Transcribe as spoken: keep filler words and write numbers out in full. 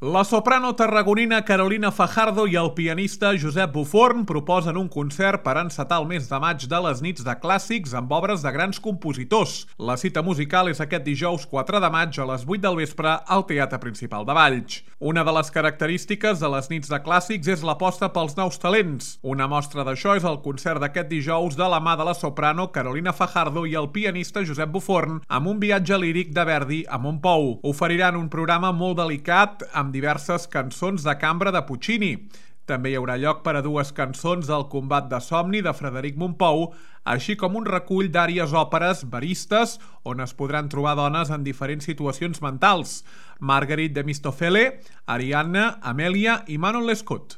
La soprano tarragonina Carolina Fajardo i el pianista Josep Buforn proposen un concert per encetar el mes de maig de les nits de clàssics amb obres de grans compositors. La cita musical és aquest dijous quatre de maig a les vuit del vespre al Teatre Principal de Valls. Una de les característiques de les nits de clàssics és l'aposta pels nous talents. Una mostra d'això és el concert d'aquest dijous de la mà de la soprano Carolina Fajardo i el pianista Josep Buforn amb un viatge líric de Verdi a Montpou. Oferiran un programa molt delicat amb amb diverses cançons de cambra de Puccini. També hi haurà lloc per a dues cançons del Combat de somni de Frederic Mompou, així com un recull d'àries òperes veristes on es podran trobar dones en diferents situacions mentals. Marguerite de Mistofele, Arianna, Amelia i Manon Lescaut.